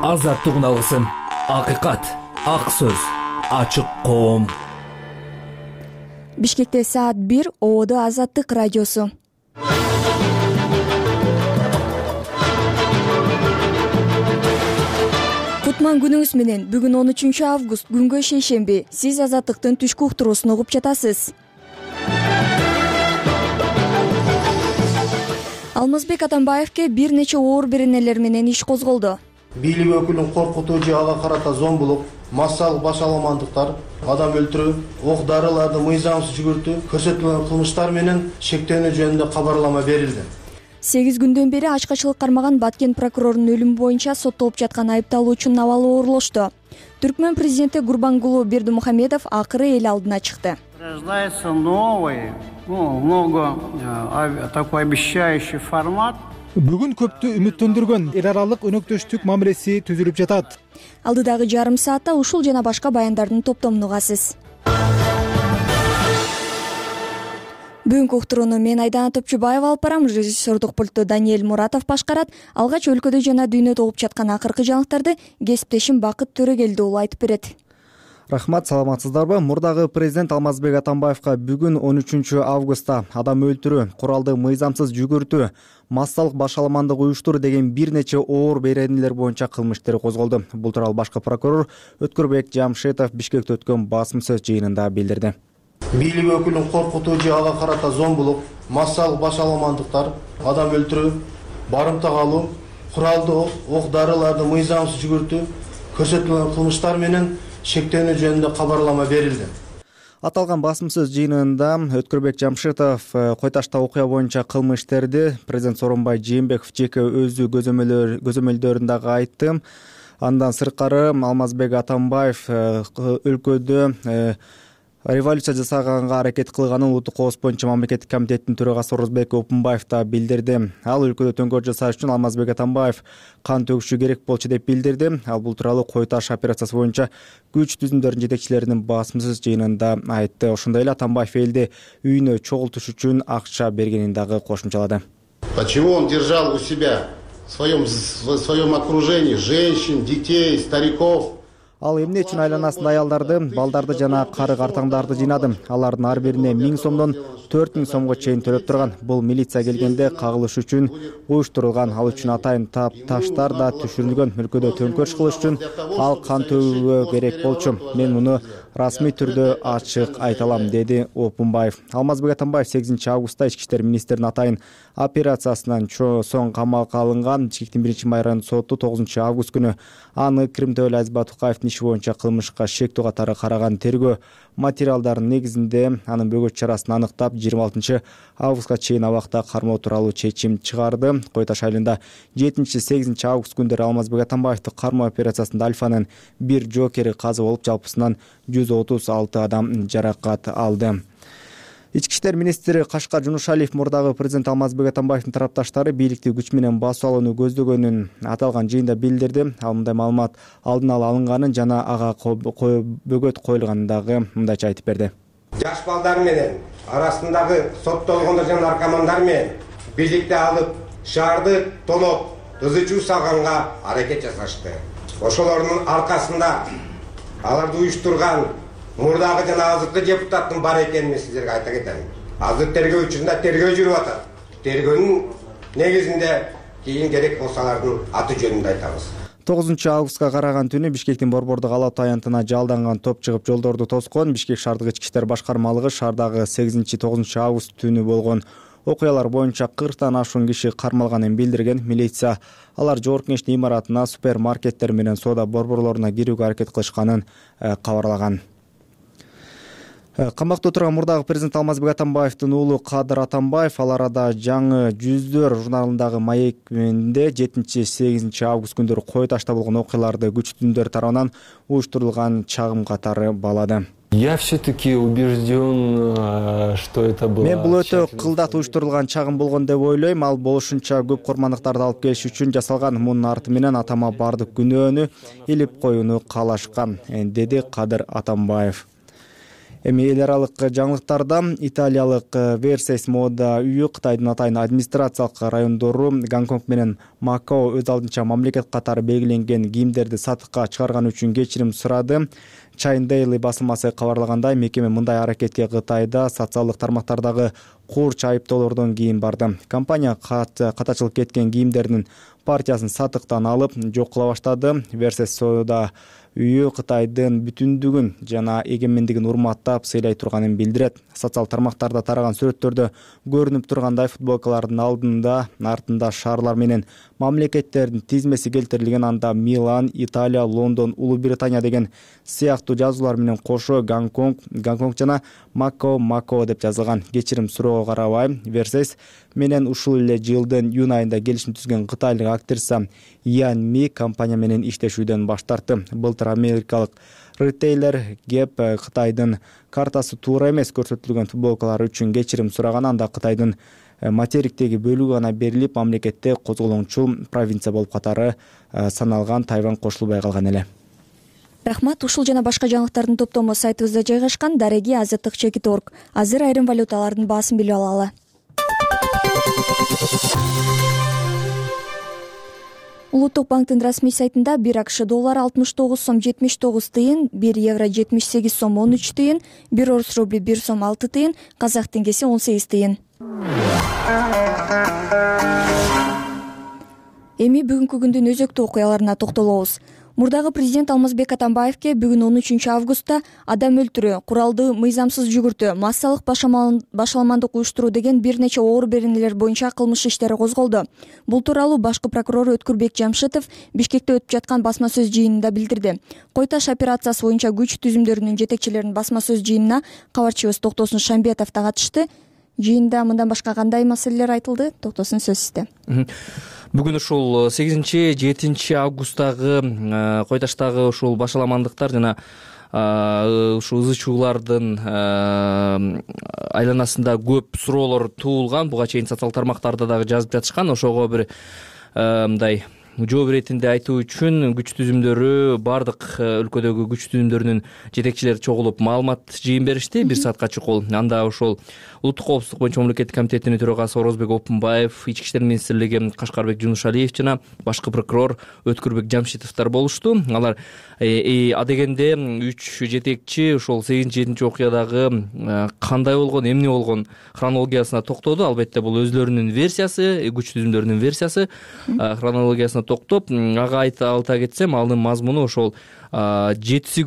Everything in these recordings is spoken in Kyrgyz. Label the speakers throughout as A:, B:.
A: Азаттык алгысым, акыйкат, ак сөз, ачык коом.
B: Бишкекте саат 1, Ободо Азаттык радиосу. Кутман күнүңүз менен. Бүгүн 13 август, күнгө шейшемби. Сиз Азаттыктын түшкү уктуруусун угуп жатасыз. Алмазбек Атамбаевке бир нече оор беренелер менен иш козголду.
C: Бийлик өкүлүн коркутуу же ага карата зомбулук, массалык башаламандыктар, адам өлтүрүү, ок-дарыларды мыйзамсыз жүгүртүү көрсөтүлгөн кылмыштар менен шектенүү жөнүндө кабарлама берилди.
B: 8 күндөн бери ачкачылык кармаган Баткен прокурорунун өлүмү боюнча соттолуп жаткан айыпталуучунун абалы оорулошту. Түркмөн президенти Гурбангулу Бердимухамедов акыры эл алдына чыкты.
D: Рождается новый, много такой обещающий формат.
E: Бүгүн көптү үмүттөндүргөн эл аралык өнөктөштүк мамилеси түзүлүп жатат.
B: Алдыдагы жарым саатта ушул жана башка баяндардын топтомун угасыз. Бүгүнкү уктурууну мен Айдана Топчубаева алып барам. Режиссердук пультту Даниэль Муратов башкарат. Алгач өлкөдө жана дүйнөдө болуп жаткан акыркы жаңылыктарды кесиптешим Бакыт Төрөгелди уулу айтып берет.
F: Рахмат, саламатсыздарбы? Мурдагы президент Алмазбек Атамбаевка бүгүн 13 августта адам өлтүрүү, куралды мыйзамсыз жүгүртүү, массалык башаламандык уюштуруу деген бир нече оор беренелер боюнча кылмыш иштери козголду. Бул тууралуу башкы прокурор Өткөрбек Жамшитов Бишкекте өткөн басым сөз жыйынында билдирди.
C: Бийлик өкүлүн коркутуу же ага карата зомбулук, массалык башаламандыктар, адам өлтүрүү, барымтага алуу, куралды ок-дарыларды мыйзамсыз жүгүртүү көрсөтүлгөн кылмыштар менен шектенүү жөнүндө кабарлама берилди.
F: Аталган басым сөз жыйынында Өткөрбек Жамшитов Койташта окуя боюнча кылмыштерди президент Сооронбай Жээнбеков жеке өзү көзөмөлдөрүндө айтты. Андан сырткары Алмазбек Атамбаев өлкөдө революция жасаганга аракет кылганын Улуттук кооз боюнча мамлекеттик комитеттин төрагасы Орозбек Опунбаев да билдирди. Ал өлкөдө төңкөрүш жасаш үчүн Алмазбек Атамбаев кан төгүшү керек болчу деп билдирди. Ал бул тууралуу Кой Таш операциясы боюнча күч түзүмдөрүнүн жетекчилеринин басымсыз жыйынында айтты. Ошондой эле Атамбаев элди үйүнө чогултуш үчүн акча бергенин дагы кошумчалады.
G: Почему он держал у себя в своем окружении женщин, детей, стариков?
F: Ал эмне үчүн айланасында аялдарды, балдарды жана кары картаңдарды жыйнады. Алардын ар бирине 1000 сомдон 4000 сомго чейин төлөп турган. Бул милиция келгенде кагылыш үчүн уюштурулган. Ал үчүн атайын таштар да түшүрүлгөн. Өлкөдө төңкөрүш кылыш үчүн ал кан төгүүгө керек болчу. Мен муну расмий түрдө ачык айта алам, деди Опунбаев. Алмазбек Атамбаев 8 августта Ички иштер министринин атайын операциясынан соң камакка алынган. Бишкектин 1-май райондук соту 9 август күнү аны Кримтөөлө Азизбек Тукаевдин иши боюнча кылмышка шектүү катары караган. Тергөө материалдарынын негизинде анын бөгөт чарасын аныктап 26 августка чейин абакта кармоо тууралуу чечим чыгарды. Кой Таш айылында 7-8 август күндөрү Алмазбек Атамбаевди кармоо операциясында Альфанын бир жокери казы болуп, жалпысынан 136 адам жаракат алды. Ички иштер министри Кашкар Жунушалиев мурдагы президент Алмазбек Атамбаевдин тарапташтары бийликти күч менен басып алууну көздөгөнүн аталган жыйында билдирди. Ал мындай маалымат алдын ала алынганын жана ага бөгөт коюлганын дагы мындайча айтып берди.
H: Жаш балдар менен арасындагы соттолгондор жана наркомандар менен бийликти алып, шаарды тоноп, ызы-чуу салганга аракет жасашты. Ошолордун аркасында аларды уюштурган мурдагы жана азыркы депутаттын бар экенин мен сиздерге айта кетем. Азыр тергөө учурунда тергөө жүрүп атат. Тергөөнүн негизинде кийин керек болсо алардын аты жөнүндө айтабыз.
F: 9 августка караган түнү Бишкектин Борбордук Алатуу аянтына жалданган топ чыгып жолдорду тоскон. Бишкек шаардык ички иштер башкармалыгы шаардагы 8-9 август түнү болгон окуялар боюнча 40тан ашуун киши кармалганын билдирген. Милиция алар Жогорку Кеңештин имаратына, супермаркеттер менен соода борборлоруна кирүүгө аракет кылышканын кабарлаган. Камакта отурган мурдагы президент Алмазбек Атамбаевдин уулу Кадыр Атамбаев ал арада жаңы жүздөр журналындагы маекинде 7-8 август күндөрү Кой Ташта болгон окуяларды күч түзүмдөр тарабынан уюштурулган чагым катары балады.
I: Я все-таки убежден, что это было.
F: Мен бул өтө кылдат уюштурулган чагым болгон деп ойлойм. Ал болушунча көп курмандыктарды алып келиш үчүн жасалган. Мунун арты менен атама бардык күнөөнү илип коюуну каалашкан, деди Кадыр Атамбаев. Эми эл аралык жаңылыктарда италиялык Versace мода үйү Кытайдын атайын администрациялык райондору Гонконг менен Макао өз алдынча мамлекет катары белгиленген кийимдерди сатыкка чыгарган үчүн кечирим сурады. China Daily басылмасы кабарлагандай, мекеме мындай аракетке Кытайда социалдык тармактардагы курч айыптоолордон кийин барды. Компания катачылык кеткен кийимдердин партиясын сатыктан алып жок кыла баштады. Versace соода үйү Кытайдын бүтүндүгүн жана эгемендигин урматтап сыйлай турганын билдирет. Социал тармактарда тараган сүрөттөрдө көрүнүп тургандай футболкалардын алдында, артында шаарлар менен мамлекеттердин тизмеси келтирилген, анда Милан, Италия, Лондон, Улуу Британия деген сыяктуу жазуулар менен кошо Гонконг жана Макао деп жазылган. Кечирим суроого карабай, Versace менен ушул эле жылдын июнь айында келишим түзгөн кытайлык актриса Ян Ми компания менен иштешүүдөн баш тартты. Былтыр америкалык ритейлер Gap Кытайдын картасы туура эмес көрсөтүлгөн футболкалар үчүн кечирим сураган, анда Кытайдын материктеги бөлүгү гана берилип, мамлекетте козголоңчу провинция болуп катары саналган Тайвань кошулбай калган эле.
B: Рахмат. Ушул жана башка жаңылыктардын топтому сайтыбызда жайгашкан. Дареги azаттык.org. Азыр айрым валюталардын баасын билип алалы. Улуттук банктын расмий сайтында 1 АКШ доллары 69 сом 79 тыйын, 1 евро 78 сом 13 тыйын, 1 орус рубли 1 сом 6 тыйын, казак теңгеси 18 тыйын. Эми бүгүнкү күндүн өзөктүү окуяларына токтолобуз. Мурдагы президент Алмазбек Атамбаевке бүгүн 13 августта адам өлтүрүү, куралдуу мыйзамсыз жүгүртүү, массалык башаламандык уюштуруу деген бир нече оор беренелер боюнча кылмыш иштери козголду. Бул тууралуу башкы прокурор Өткүрбек Жамшитов Бишкекте өтүп жаткан басма сөз жыйынында билдирди. Кой-таш операциясы боюнча күч түзүмдөрүнүн жетекчилеринин басма сөз жыйынына кабарчыбыз Токтосун Шамбетов да катышты. Жыйында мындан башка кандай маселелер айтылды? Токтосун, сөз сизде.
A: Бүгүн ушул 8-7 августтагы Кой-таштагы ушул башаламандыктар жана ушул ызы чуулардын айланасында көп суроолор туулган. Буга чейин социал тармактарда дагы жазып жатышкан. Ошого бир мындай жооп иретинде айтуу үчүн күч түзүмдөрү, бардык өлкөдөгү күч түзүмдөрүнүн жетекчилери чогулуп маалымат жыйын беришти. 1 саатка чукул. Анда ошол Улуттук коопсуздук боюнча мамлекеттик комитетинин төрагасы Орозбек Опунбаев, Ички иштер министрлиги Кашкарбек Жунушалиев жана башкы прокурор Өткүрбек Жамшитовдор болушту. Алар адегенде 3 жетекчи ошол 8-7 окуядагы кандай болгон, эмне болгон хронологиясына токтоду. Албетте бул өзлөрүнүн версиясы, күч түзүмдөрүнүн версиясы. Хронологиясына токтоп, ага айта кетсем, анын мазмуну ошол 7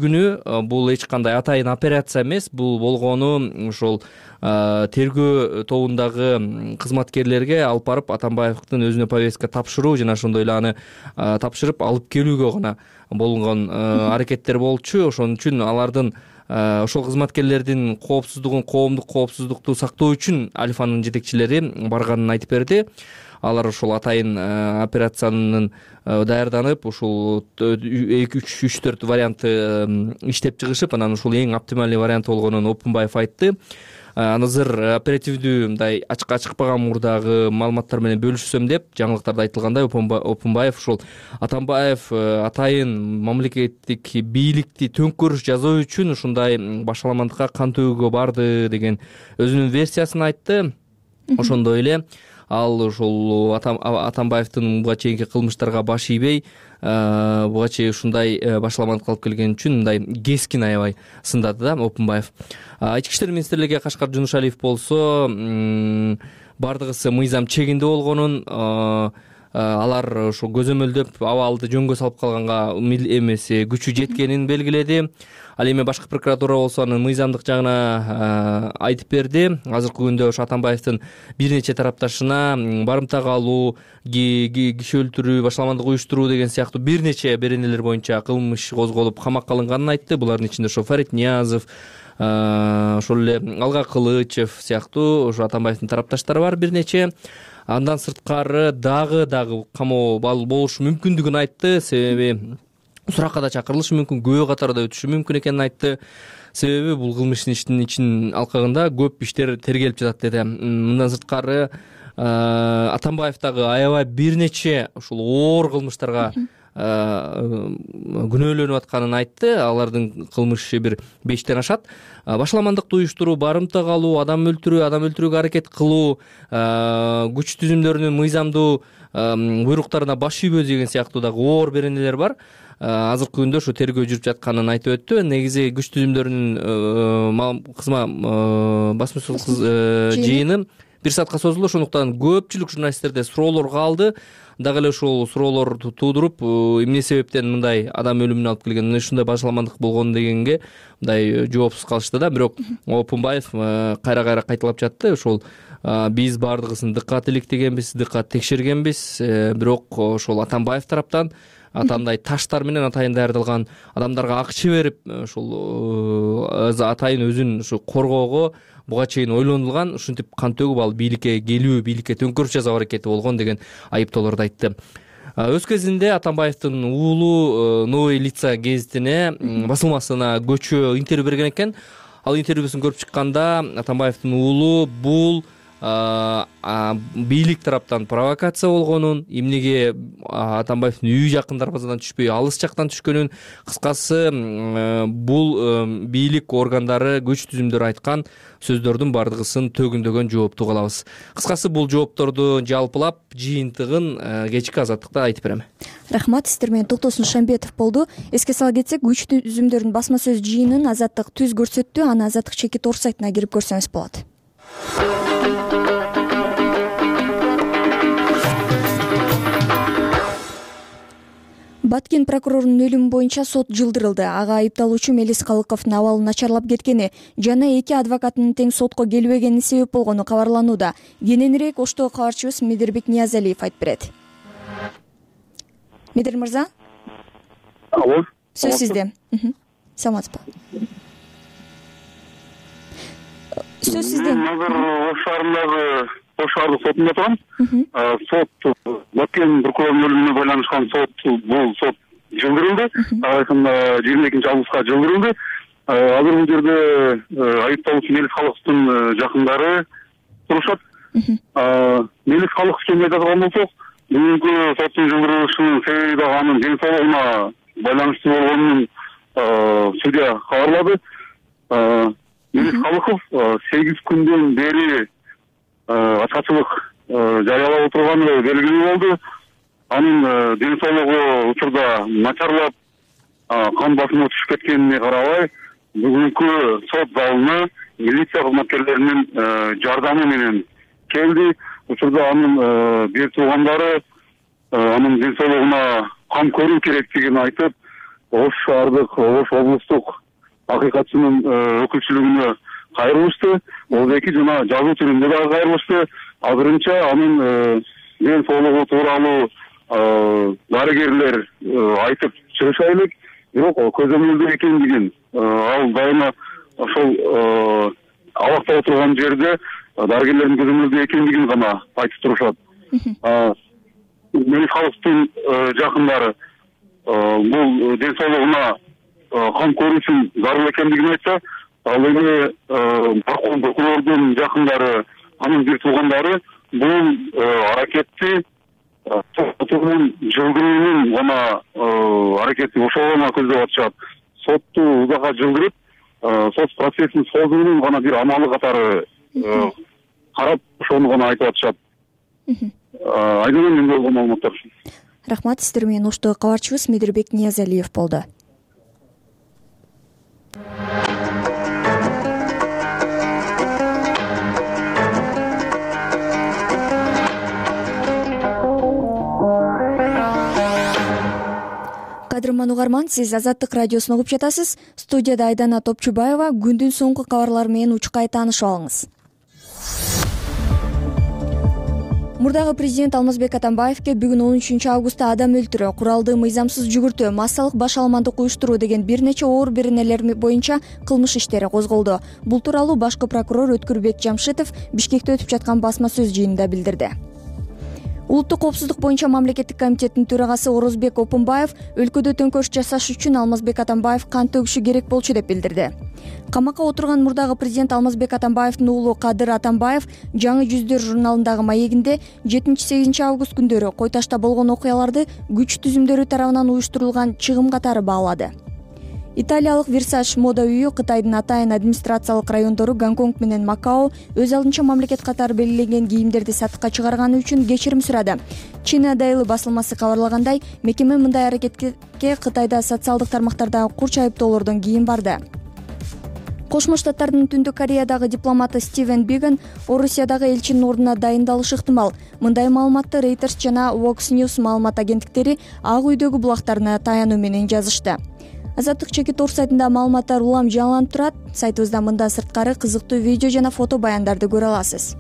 A: күнү бул эч кандай атайын операция эмес. Бул болгону ошол тергөө тобундагы кызматкерлерге алып барып Атамбаевдин өзүнө повестка тапшыруу жана ошондой эле аны тапшырып алып келүүгө гана болгон аракеттер болчу. Ошон үчүн алардын ошол кызматкерлердин коомдук коопсуздукту сактоо үчүн Алифанын жетекчилери барганын айтып берди. Алар ошол атайын операциянын даярданып, ушул 3-4 вариантты иштеп чыгышып, анан ушул эң оптимальный вариант болгонун Опунбаев айтты. Азыр оперативдүү мындай ачыкпаган мурдагы маалыматтар менен бөлүшсөм деп, жаңылыктарда айтылгандай, Опунбаев ушул Атамбаев атайын мамлекеттик бийликти төңкөрүш жасоо үчүн ушундай башаламандыкка кан төгүүгө барды деген өзүнүн версиясын айтты. Ошондой эле ал ушул Атамбаевдин буга чейинки кылмыштарга баш ийбей, буга чейин ушундай башаламандыкка алып келген үчүн мындай кескин аябай сындады да Опунбаев. Ички иштер министрлиги Кашкар Жунушалиев болсо бардыгысы мыйзам чегинде болгонун, алар ошо көзөмөлдөп абалды жөнгө салып калганга эмеси күчү жеткенин белгиледи. Ал эми башкы прокуратура болсо анын мыйзамдык жагына айтып берди. Азыркы күндө ошо Атамбаевдин бир нече тарапташына барымтага алуу, киши өлтүрүү, башаламандык уюштуруу деген сыяктуу бир нече беренелер боюнча кылмыш козголуп камакка алынганын айтты. Булардын ичинде ошо Фарид Ниязов, ошол эле Алга Кылычев сыяктуу ошо Атамбаевдин тарапташтары бар бир нече. Андан сырткары дагы камоо болушу мүмкүндүгүн айтты. Себеби суракка да чакырылышы мүмкүн, күбө катарда өтүшү мүмкүн экенин айтты. Себеби бул кылмыш иштин ичин алкагында көп иштер тергелип жатат деди. Мындан сырткары Атамбаев дагы аябай бир нече ушул оор кылмыштарга күнөөлөнүп атканын айтты. Алардын кылмышы бир 5тен ашат. Башаламандыкты уюштуруу, барымтак алуу, адам өлтүрүүгө аракет кылуу, күч түзүмдөрүнүн мыйзамдуу буйруктарына баш ийбөө деген сыяктуу дагы оор беренелер бар. Азыркы күндө ушу тергөө жүрүп жатканын айтып өттү. Негизи күч түзүмдөрүнүн кызма басма сөз жыйыны 1 саатка созулду. Ошондуктан көпчүлүк журналисттерде суроолор калды. Дагы эле ушул суроолорду туудуруп, эмне себептен мындай адам өлүмүнө алып келген, ушундай башаламандык болгон дегенге мындай жоопсуз калышты да. Бирок Опунбаев кайра кайталап жатты. Ошол биз бардыгысын дыккат иликтегенбиз, дыккат текшергенбиз. Бирок ошол Атамбаев тараптан атандай таштар менен атайын даярдалган адамдарга акча берип, ошол атайын өзүн ушу коргоого буга чейин ойлонулган, ушинтип кан төгүп ал бийликке келүү, бийликке төңкөрүш жасоо аракети болгон деген айыптоолорду айтты. Өз кезинде Атамбаевдин уулу Новые лица гезитине басылмасына көчө интервью берген экен. Ал интервьюсун көрүп чыкканда Атамбаевдин уулу бул бийлик тараптан провокация болгонун, эмнеге Атамбаевдин үйү жакын дарбазадан түшпөй алыс жактан түшкөнүн, кыскасы бул бийлик органдары, күч түзүмдөрү айткан сөздөрдүн бардыгысын төгүндөгөн жоопту калабыз. Кыскасы бул жоопторду жалпылап жыйынтыгын кечки Азаттыкта айтып берем.
B: Рахмат, сиздер менен Токтосун Шамбетов болду. Эске сала кетсек, күч түзүмдөрүнүн басма сөз жыйынын Азаттык түз көрсөттү. Аны Азаттык чеки тор сайтына кирип көрсөңүз болот. Баткен прокурорунун өлүмү боюнча сот жылдырылды. Ага айыпталуучу Мелис Калыковдун абалы начарлап кеткени жана 2 адвокатынын тең сотко келбегени себеп болгону кабарланууда. Кененирээк Оштогу кабарчыбыз Медербек Ниязалиев айтып берет. Медер мырза?
J: Алло.
B: Сөз сизде. Саламатсызбы? Сөз сизде.
J: Азыр Ош шаарындагы Ош шаардык сотунда турам. Сот Баткен прокурорунун өлүмүнө байланышкан сот, бул сот жылдырылды. Айкында 22-августка жылдырылды. Азыр бул жерде айыпталуучу Мелис Калыковдун жакындары турушат. Мелис Калыков ким деп айткан болсок, бүгүнкү соттун жылдырылышынын себеби дагы анын ден соолугуна байланыштуу болгонун судья кабарлады. Мелис Калыков 8 күндөн бери ачкачылык жарыялап отурганы белгилүү болду. Анын ден соолугу учурда начарлап, кан басымы түшүп кеткенине карабай, бүгүнкү сот залына милиция кызматкерлеринин жардамы менен келди. Учурда анын бир туугандары анын ден соолугуна кам көрүү керектигин айтып, Ош шаардык, Ош облустук акыйкатчынын өкүлчүлүгүнө кайрылышты. Эки жана жазуу түрүндө дагы кайрылышты. Азырынча анын ден соолугу тууралуу дарыгерлер айтып чыгыша элек, бирок көзөмөлдө экендигин, ал дайыма ошол абакта отурган жерде дарыгерлердин көзөмөлдө экендигин гана айтып турушат. Мелис Калыковдун жакындары бул ден соолугуна кам көрүү үчүн зарыл экендигин айтса, ал эми Баткен прокурордун жакындары, анын бир туугандары бул аракетти соттун жылдыруунун гана аракети ошого гана көздөп атышат. Сотту узакка жылдырып, сот процессин созуунун гана бир амалы катары карап, ошону гана айтып атышат. Айдын менде болгон маалыматтар.
B: Рахмат, сиздер менен Оштогу кабарчыбыз Медербек Ниязалиев болду. Кадырман угарман, сиз Азаттык радиосун угуп жатасыз. Студияда Айдана Топчубаева. Күндүн соңку кабарлары менен учкай таанышып алыңыз. Мурдагы президент Алмазбек Атамбаевке бүгүн 13 августта адам өлтүрүү, куралдуу мыйзамсыз жүгүртүү, массалык башаламандык уюштуруу деген бир нече оор беренелер боюнча кылмыш иштери козголду. Бул тууралуу башкы прокурор Өткүрбек Жамшитов Бишкекте өтүп жаткан басма сөз жыйынында билдирди. Улуттук коопсуздук боюнча мамлекеттик комитеттин төрагасы Орозбек Опунбаев өлкөдө төңкөрүш жасаш үчүн Алмазбек Атамбаев кан төгүшү керек болчу деп билдирди. Камакка отурган мурдагы президент Алмазбек Атамбаевдин уулу Кадыр Атамбаев Жаңы жүздөр журналындагы маегинде 7-8 август күндөрү Кой Ташта болгон окуяларды күч түзүмдөрү тарабынан уюштурулган чыгым катары баалады. Италиялык Versace мода үйү Кытайдын атайын администрациялык райондору Гонконг менен Макао өз алдынча мамлекет катары белгиленген кийимдерди сатыкка чыгарганы үчүн кечирим сурады. China Daily басылмасы кабарлагандай, мекеме мындай аракетке Кытайда социалдык тармактардагы курч айыптоолордон кийин барды. Кошмо Штаттардын Түндүк Кореядагы дипломаты Стивен Биган Орусиядагы элчинин ордуна дайындалышы ыктымал. Мындай маалыматты Reuters жана Vox News маалымат агенттиктери Ак үйдөгү булактарына таянуу менен жазышты. Азаттык Чекит.org сайтында маалыматтар улам жаңыланып турат. Сайтыбызда мындан сырткары кызыктуу видео жана фото баяндарды көрө аласыз.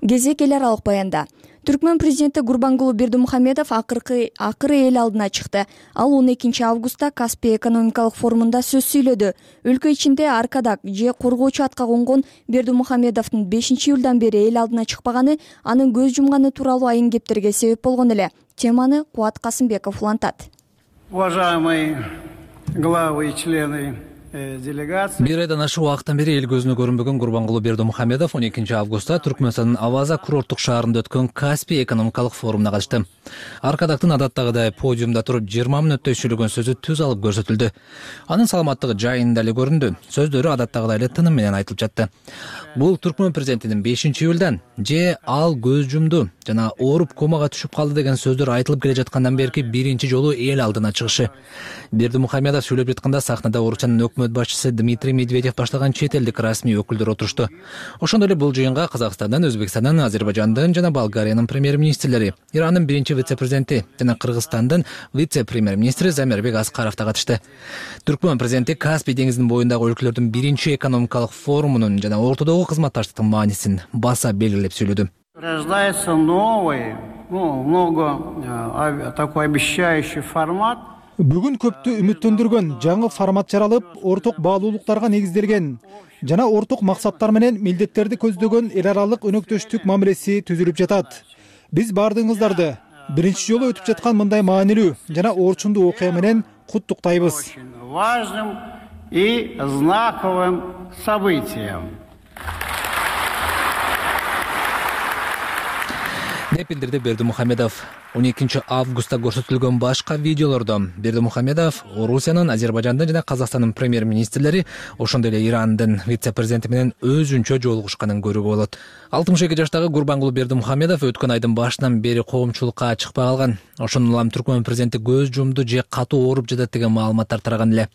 B: Кезек эл аралык баянда. Түркмөн президенти Гурбангулы Бердимухамедов акыркы эл алдына чыкты. Ал 12 августта Каспий экономикалык форумунда сөз сүйлөдү. Өлкө ичинде аркадак же коргоочу атка конгон Бердимухамедовдун 5-июлдан бери эл алдына чыкпаганы анын көз жумганы тууралуу айын кептерге себеп болгон эле. Теманы Куат Касымбеков улантат.
D: Уважаемые главы и члены делегация.
K: Бир айдан ашык убакыттан бери эл көзүнө көрүнбөгөн Гурбангулы Бердимухамедов 12 августта Түркмөнстандын Аваза курорттук шаарында өткөн Каспий экономикалык форумуна катышты. Аркадактын адаттагыдай подиумда туруп 20 мүнөттөй сүйлөгөн сөзү түз алып көрсөтүлдү. Анын саламаттыгы жайында эле көрүндү. Сөздөрү адаттагыдай эле тыным менен айтылып жатты. Бул Түркмөн президентинин 5-июлдан же ал көз жумду жана ооруп комага түшүп калды деген сөздөр айтылып келе жаткандан берки биринчи жолу эл алдына чыгышы. Бердимухамедов сүйлөп жатканда сахнада Орусиянын өкмөт башчысы Дмитрий Медведев баштаган чет элдик расмий өкүлдөр отурушту. Ошондой эле бул жыйынга Казакстандан, Өзбекстандын, Азербайжандын жана Болгариянын премьер-министрлери, Ирандын биринчи вице-президенти жана Кыргызстандын вице-премьер-министри Замирбек Аскаров да катышты. Түркмөн президенти Каспий деңизинин боюндагы өлкөлөрдүн биринчи экономикалык форумунун жана ортодогу кызматташтыктын маанисин баса белгилеп сүйлөдү.
D: Рождается новый, такой обещающий формат.
E: Бүгүн көптү үмүттөндүргөн жаңы формат жаралып, орток баалуулуктарга негизделген жана орток максаттар менен милдеттерди көздөгөн эл аралык өнөктөштүк мамилеси түзүлүп жатат. Биз баардыгыңыздарды биринчи жолу өтүп жаткан мындай маанилүү жана орчундуу окуя менен куттуктайбыз.
D: Важным и знаковым событием.
K: деп билдирди Бердимухамедов. 12 августта көрсөтүлгөн башка видеолордо Бердимухамедов Орусиянын, Азербайжандын жана Казакстандын премьер-министрлери, ошондой эле Ирандын вице-президенти менен өзүнчө жолугушканын көрүүгө болот. 62 жаштагы Гурбангулы Бердимухамедов өткөн айдын башынан бери коомчулукка чыкпай калган. Ошондон улам Түркмөн президенти көз жумду же катуу ооруп жатат деген маалыматтар тараган эле.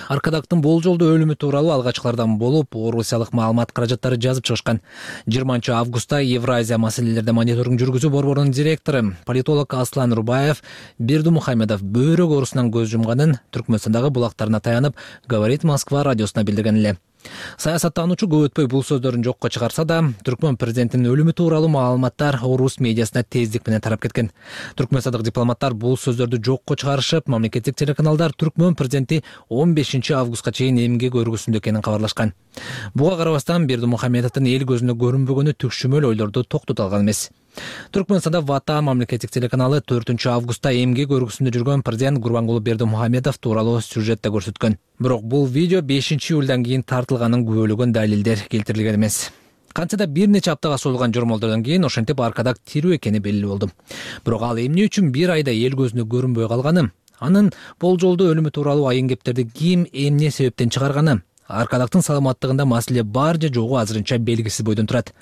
K: Аркадактын болжолдуу өлүмү тууралуу алгачкылардан болуп, орусиялык маалымат каражаттары жазып чыгышкан. 20 августта Евразия маселелерде мониторинг жүргүзүү борборунун директору, политолог Аслан Рубаев Бердимухамедов бөйрөк оорусунан көз жумганын Түркмөнстандагы булактарына таянып, Говорит Москва радиосуна билдирген эле. Саясаттануучу көп өтпөй бул сөздөрүн жокко чыгарса да, Түркмөн президентинин өлүмү тууралуу маалыматтар орус медиасына тездик менен тарап кеткен. Түркмөнстандык дипломаттар бул сөздөрдү жокко чыгарышып, мамлекеттик телеканалдар Түркмөн президенти 15 августка чейин эмгек өргүсүндө экенин кабарлашкан. Буга карабастан Бердимухамедовдун эл көзүнө көрүнбөгөнү түкшүмөл ойлорду токтото алган эмес. Түркмөнстанда Вата мамлекеттик телеканалы 4 августта эмгек өргүсүндө жүргөн президент Гурбангулы Бердимухамедов тууралуу сюжетте көрсөткөн. Бирок бул видео 5-июлдан кийин тартылганын күбөлөгөн далилдер келтирилген эмес. Кантсе да бир нече аптага созулган жормолдордон кийин ошентип Аркадак тирүү экени белгилүү болду. Бирок ал эмне үчүн бир айда эл көзүнө көрүнбөй калганы, анын болжолдуу өлүмү тууралуу айын кептерди ким эмне себептен чыгарганы, Аркадактын саламаттыгында маселе бар же жогу азырынча белгисиз бойдон турат.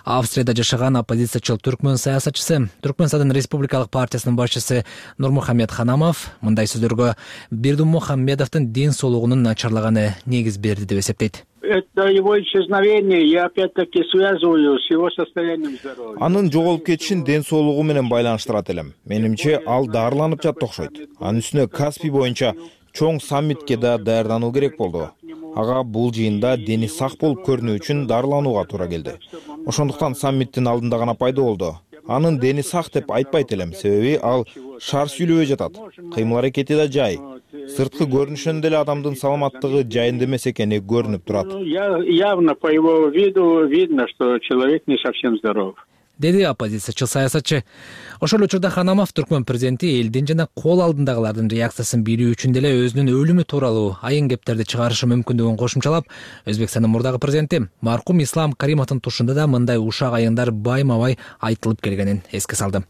K: Австрияда жашаган оппозициячыл түркмөн саясатчысы, Түркмөнстандын Республикалык партиясынын башчысы Нурмухамед Ханамов мындай сөздөргө Бердимухамедовдун ден соолугунун начарлаганы негиз берди деп эсептейт.
L: Это его исчезновение я опять-таки связываю с его состоянием здоровья.
M: Анын жоголуп кетишин ден соолугу менен байланыштырат элем. Менимче ал дарыланып жатты окшойт. Анын үстүнө Каспий боюнча чоң саммитке да даярдануу керек болду. Ага бул жыйында дени сак болуп көрүнүү үчүн дарыланууга туура келди. Ошондуктан саммиттин алдында гана пайда болду. анын дени сак деп айтпайт элем, себеби ал шар сүйлөбөй жатат. Кыймыл аракети да жай. Сырткы көрүнүшүнөн деле адамдын саламаттыгы жайында эмес экени көрүнүп турат.
L: Явно по его виду видно, что человек не совсем здоров,
K: деди оппозициячыл саясатчы. Ошол учурда Ханамов Түркмөн президенти элдин жана кол алдындагылардын реакциясын билүү үчүн деле өзүнүн өлүмү тууралуу айын кептерди чыгарышы мүмкүндүгүн кошумчалап, Өзбекстандын мурдагы президенти маркум Ислам Каримовдун тушунда да мындай ушак айындар байма-бай айтылып келгенин эске салды.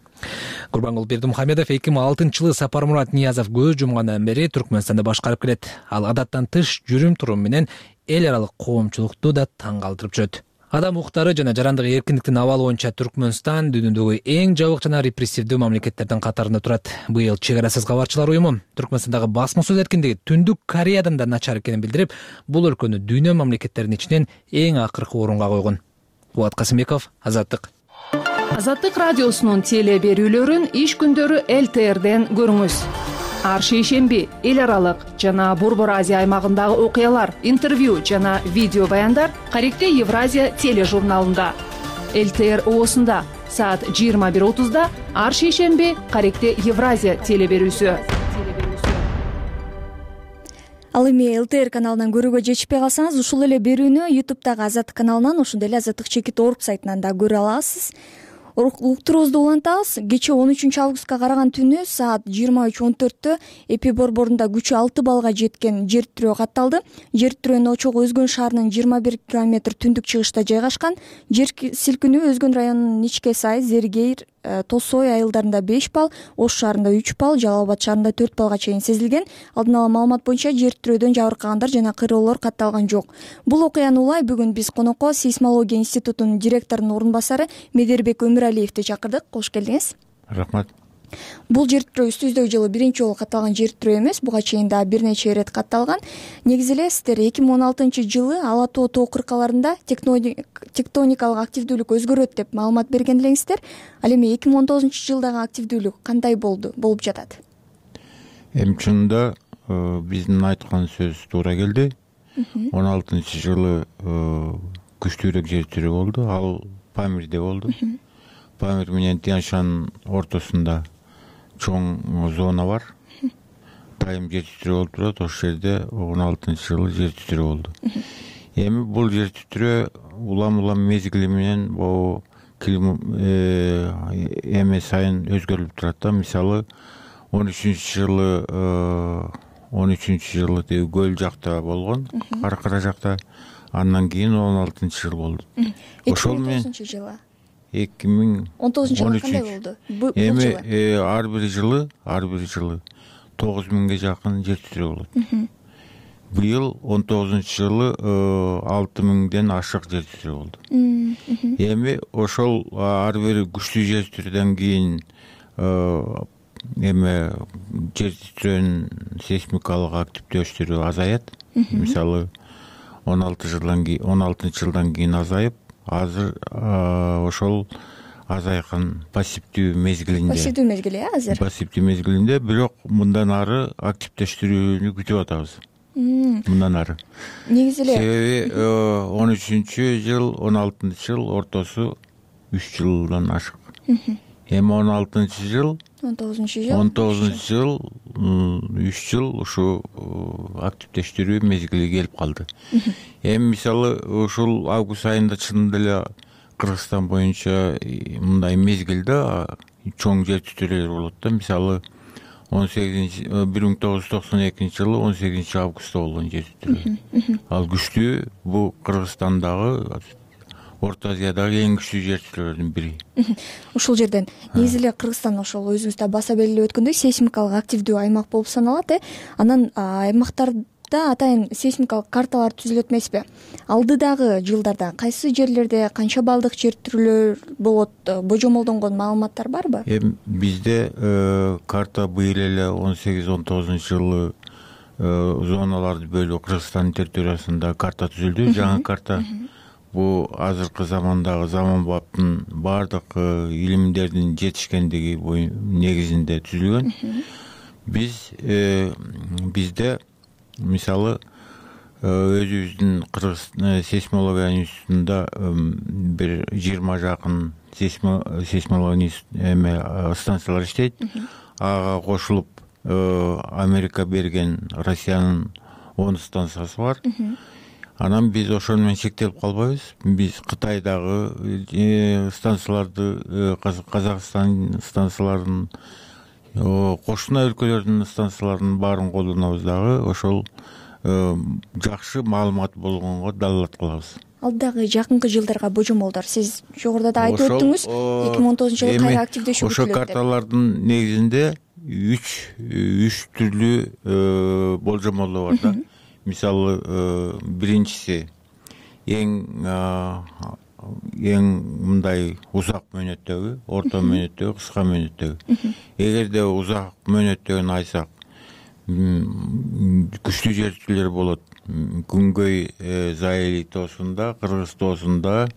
K: Курбангул Бердимухамедов 2006-жылы Сапармурат Ниязов көз жумгандан бери Түркмөнстандды башкарып келет. Ал адаттан тыш жүрүм-турум менен эл аралык коомчулукту да таң калтырып жүрөт. Адам укуктары жана жарандык эркиндиктин абалы боюнча Түркмөнстан дүйнөдөгү эң жабык жана репрессивдүү мамлекеттердин катарында турат. Быйыл Чек арасыз кабарчылар уюму Түркмөнстандагы басма сөз эркиндиги Түндүк Кореядан да начар экенин билдирип, бул өлкөнү дүйнө мамлекеттеринин ичинен эң акыркы орунга койгон. Булат Касымбеков, Азаттык.
N: Азаттык радиосунун теле берүүлөрүн иш күндөрү ЛТРден көрүңүз. Ар шейшемби эл аралык жана Борбор Азия аймагындагы окуялар, интервью жана видео баяндар Каректе Евразия тележурналында. ЛТР ООсунда саат 21:30 ар шейшемби Каректе Евразия теле берүүсү.
B: Ал эми ЛТР каналынан көрүүгө жетишпей калсаңыз, ушул эле берүүнү YouTube'дагы Азаттык каналынан, ошондой эле Азаттык Чекит Орг сайтынан да көрө аласыз. Уктуруубузду улантабыз. Кечээ 13 августка караган түнү саат 23:14 Эпи борборунда күчү 6 баллга жеткен жер тирөө катталды. Жер тирөөнүн очогу Өзгөн шаарынын 21 километр түндүк чыгышта жайгашкан. Жер силкинүү Өзгөн районунун Ичке Сай, Зергейир, Тосой айылдарында 5 балл, Ош шаарында 3 балл, Жалал Абад шаарында 4 баллга чейин сезилген. Алдын ала маалымат боюнча жер тирөөдөн жабыркагандар жана кыйроолор катталган жок. Бул окуяны улай бүгүн биз конокко Сейсмология институтунун директорунун орун басары Медербек Өмүралиевди чакырдык. Кош келдиңиз.
O: Рахмат.
B: Бул жер тирөө үстүбүздөгү жылы биринчи жолу катталган жер тирөө эмес, буга чейин да бир нече ирет катталган. Негизи эле сиздер 2016-жылы Ала тоо тоо кыркаларында тектоникалык активдүүлүк өзгөрөт деп маалымат берген элеңиздер. Ал эми 2019-жылдагы активдүүлүк кандай болуп жатат?
O: Эми чынында биздин айткан сөз туура келди. 16-жылы күчтүүрөөк жер тирөө болду. Ал Памирде болду. Памир менен Тянь-Шань ортосунда чоң зона бар. Дайым жер титирөө болуп турат. Ошол жерде 16-жылы жер титирөө болду. Эми бул жер титирөө улам мезгили менен бул эме сайын өзгөрүлүп турат да. Мисалы 13-жылы деги көл жакта болгон, Каракара жакта. Андан кийин 16-жыл болду. Ошол менен 2019-жылы 2019-жылы кандай болду?
B: Эми
O: ар бир жылы 9000ге жакын жер титирөө болот. Быйыл 19-жылы 6000ден ашык жер титирөө болду. Эми ошол ар бир күчтүү жер титирөөдөн кийин эме жер титирөөнүн сейсмикалык активдөөчтүрү азаят. Мисалы 16-жылдан кийин азайып, азыр ошол азайган пассивдүү мезгилинде.
B: Пассивдүү мезгили азыр.
O: Пассивдүү мезгилинде, бирок мындан ары активдештирүүнү күтүп атабыз. Мындан ары.
B: Негизи эле
O: себеби 13-жыл, 16-жыл ортосу 3 жылдан ашык. Эми 16-жыл 19-жыл 3 жыл ушу активдештирүү мезгили келип калды. Эми мисалы ушул август айында чынында эле Кыргызстан боюнча мындай мезгилде чоң жер титирөөлөр болот да. Мисалы 1992-жылы 18 августта болгон жер титирөө. Ал күчтүү, бул Кыргызстандагы Орто Азиядагы эң күчтүү жер титирөөлөрдүн бири.
B: Ушул жерден негизи эле Кыргызстан ошол өзүңүз да баса белгилеп өткөндөй сейсмикалык активдүү аймак болуп саналат. Анан аймактарда атайын сейсмикалык карталар түзүлөт эмеспи? Алдыдагы жылдарда кайсы жерлерде канча балдык жер титирөөлөр болот, божомолдонгон маалыматтар барбы?
O: Бизде карта быйыл эле 18-19-жылы зоналарды бөлүү Кыргызстандын территориясында карта түзүлдү, жаңы карта. Бул азыркы замандагы заманбаптын бардык илимдердин жетишкендиги негизинде түзүлгөн. Бизде мисалы өзүбүздүн Кыргыз сейсмология институтунда бир 20 жакын сейсмологист станциялар иштейт. Ага кошулуп Америка берген Россиянын 10 станциясы бар. Анан биз ошону менен чектелип калбайбыз. Биз Кытайдагы станцияларды, Казакстан станцияларын, кошуна өлкөлөрдүн станцияларынын баарын колдонобуз дагы. Ошол жакшы маалымат болгонго далилат кылабыз.
B: Алдагы жакынкы жылдарга божомолдор сиз жогоруда да айтып өттүңүз. 2019-жылы кайра активдешүү күтүлөт.
O: Ошо карталардын негизинде 3 түрлүү болжомолдор бар да. Мисалы, биринчиси эң мындай узак мөөнөттөгү, орто мөөнөттөгү, кыска мөөнөттөгү. Эгерде узак мөөнөттөгүн айтсак, күчтүү жер титирөөлөр болот. Күнгөй Заили тоосунда, Кыргыз тоосунда,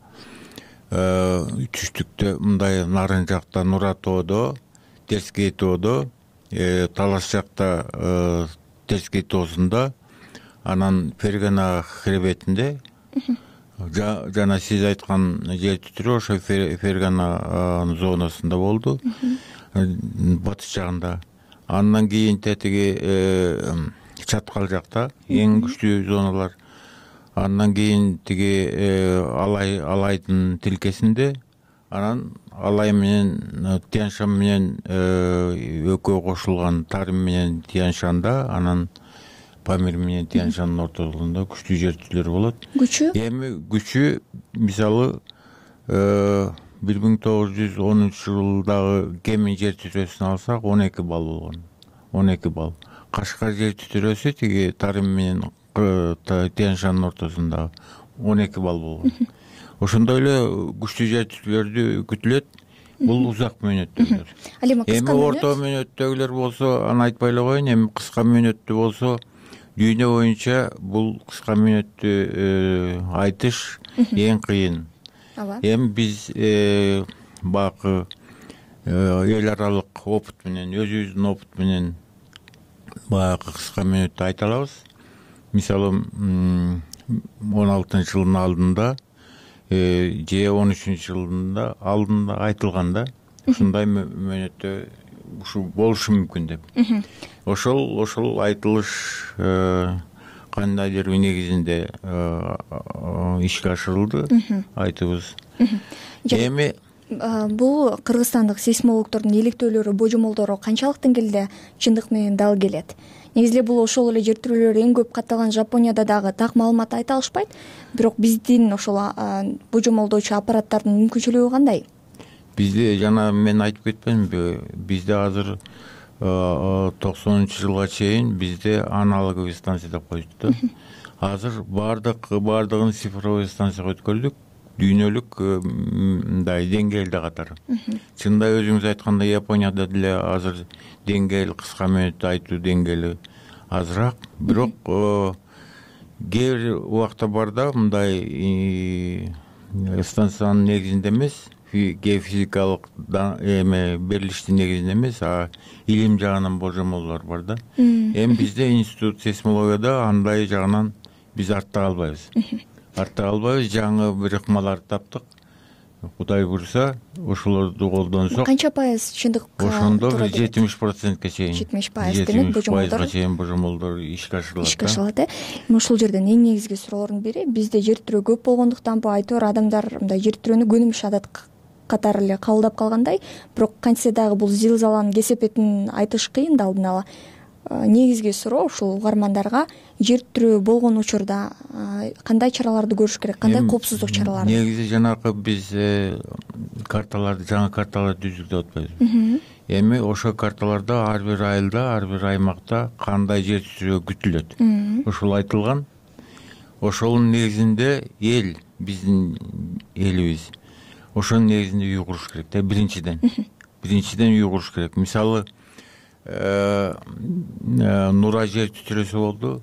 O: түштүктө мындай нарын жакта Нура тоодо, Терскей тоодо, Талаш жакта Терскей тоосунда, анан Фергана хребетинде, жана сиз айткан жер титирөө ошо Фергана зонасында болду, батыш жагында. Андан кийин тетиги Чаткал жакта эң күчтүү зоналар. Андан кийин тиги Алайдын тилкесинде, анан Алай менен Тянь-Шань менен экөө кошулган Тарым менен Тянь-Шанда, анан Памир менен Тянь-Шандын ортолугунда күчтүү жер титирөөлөр болот.
B: Күчү?
O: Эми күчү мисалы 1910 жылдагы Кемин жер титирөөсүн алсак 12 балл болгон. 12 балл. Кашкар жер титирөөсү тиги Тарым менен Тянь-Шандын ортосунда 12 балл болгон. Ошондой эле күчтүү жер титирөөлөр күтүлөт. Бул узак мөөнөттөгүлөр. Эми орто мөөнөттөгүлөр болсо, аны айтпай эле коеюн, эми кыска мөөнөттүү болсо, дүйнө боюнча бул кыска мөөнөттүү айтыш эң кыйын. Эми биз бакы эл аралык опыт менен, өзүбүздүн опыт менен баягы кыска мөөнөттү айта алабыз. Мисалы 16-жылдын алдында же 13-жылдын алдында айтылганда ушундай мөөнөттө ушу болушу мүмкүн деп. Ошол айтылыш кандайдыр негизинде ишке ашырылды, айтыбыз. Эми
B: бул кыргызстандык сейсмологдордун иликтөөлөрү, божомолдору канчалык деңгээлде чындык менен дал келет? Негизи бул ошол эле жер титирөөлөр эң көп катталган Жапонияда дагы так маалымат айта алышпайт. Бирок биздин ошол божомолдоочу аппараттардын мүмкүнчүлүгү кандай?
O: Бизде жана мен айтып кетпедимби, бизде азыр 90-жылга чейин бизде аналоговый станция деп коюшту. Азыр бардыгын цифровой станцияга өткөрдүк. Дүйнөлүк мындай деңгээлде катары. Чынында өзүңүз айткандай Японияда деле азыр деңгээл, кыска мөөнөттү айтуу деңгээли азыраак. Бирок кээ бир убакта барда мындай станциянын негизинде эмес, геофизикалык берилиштин негизинде эмес, илим жагынан божомолдор бар да. Эми бизде институт сейсмологияда андай жагынан биз артта калбайбыз. Жаңы бир ыкмаларды таптык. Кудай буйруса, ошолорду колдонсок.
B: Канча пайыз чындыкка?
O: Ошондо 70%ке чейин.
B: 70% демек
O: божомолдор чейин божомолдор ишке ашырылат.
B: Ишке ашырылат, ушул жерден эң негизги суроолордун бири, бизде жер титирөө көп болгондуктанбы, айтор адамдар мындай жер титирөөнү көнүмүш адат катары эле кабылдап калгандай, бирок кантсе дагы бул зилзаланын кесепетин айтыш кыйын да алдын ала. Негизги суроо ушул угармандарга жер титирөө болгон учурда кандай чараларды көрүш керек, кандай коопсуздук чаралары?
O: Негизи жанагы биз карталарды, жаңы карталарды түздүк деп атпайбызбы? Эми ошол карталарда ар бир айылда, ар бир аймакта кандай жер титирөө күтүлөт. Ошол айтылган. Ошонун негизинде биздин элибиз ошонун негизинде үй куруш керек да, биринчиден үй куруш керек. Мисалы, Нура жер титирөөсү болду.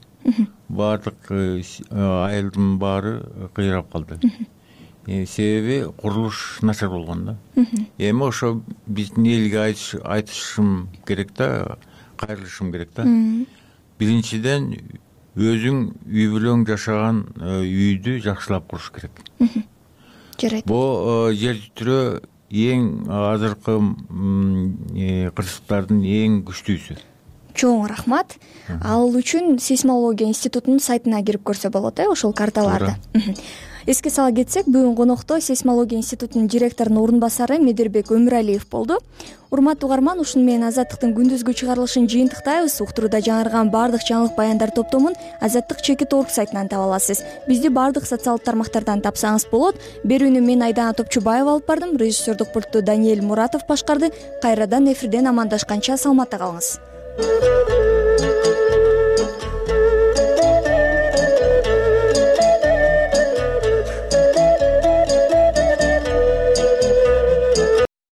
O: Баардык айылдын баары кыйрап калды. Себеби курулуш начар болгон да. Эми ошо биздин элге айтышым керек да, кайрылышым керек да. Биринчиден өзүң үй бүлөң жашаган үйдү жакшылап куруш керек.
B: Жарайт.
O: Бул жер титирөө эң азыркы кырсыктардын эң күчтүүсү.
B: Чоң рахмат. Ал үчүн сейсмология институтунун сайтына кирип көрсө болот, ошол карталарды. Эске сала кетсек, бүгүн конокто сейсмология институтунун директорунун орун басары Медербек Өмүралиев болду. Урматтуу угарман, ушуну менен Азаттыктын күндүзгү чыгарылышын жыйынтыктайбыз. Уктурууда жаңырган баардык жаңылык баяндар топтомун Азаттык @org сайтынан таба аласыз. Бизди баардык социалдык тармактардан тапсаңыз болот. Берүүнү мен Айдана Топчубаева алып бардым. Режиссердук пультту Даниэль Муратов башкарды. Кайрадан эфирден амандашканча саламатта калыңыз.